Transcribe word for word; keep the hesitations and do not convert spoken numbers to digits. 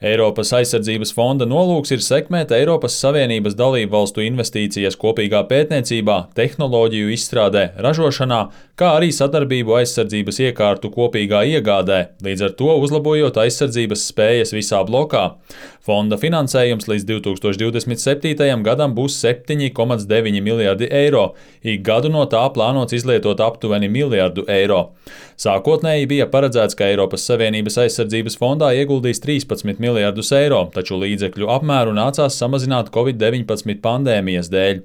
Eiropas aizsardzības fonda nolūks ir sekmēt Eiropas Savienības dalību valstu investīcijas kopīgā pētniecībā, tehnoloģiju izstrādē, ražošanā, kā arī sadarbību aizsardzības iekārtu kopīgā iegādē, līdz ar to uzlabojot aizsardzības spējas visā blokā. Fonda finansējums līdz divi tūkstoši divdesmit septītajam gadam būs septiņi komats deviņi miljardi eiro, ik gadu no tā plānots izlietot aptuveni miljardu eiro. Sākotnēji bija paredzēts, ka Eiropas Savienības aizsardzības fondā ieguldīs trīspadsmit miljardus eiro, taču līdzekļu apmēru nācās samazināt covid deviņpadsmit pandēmijas dēļ.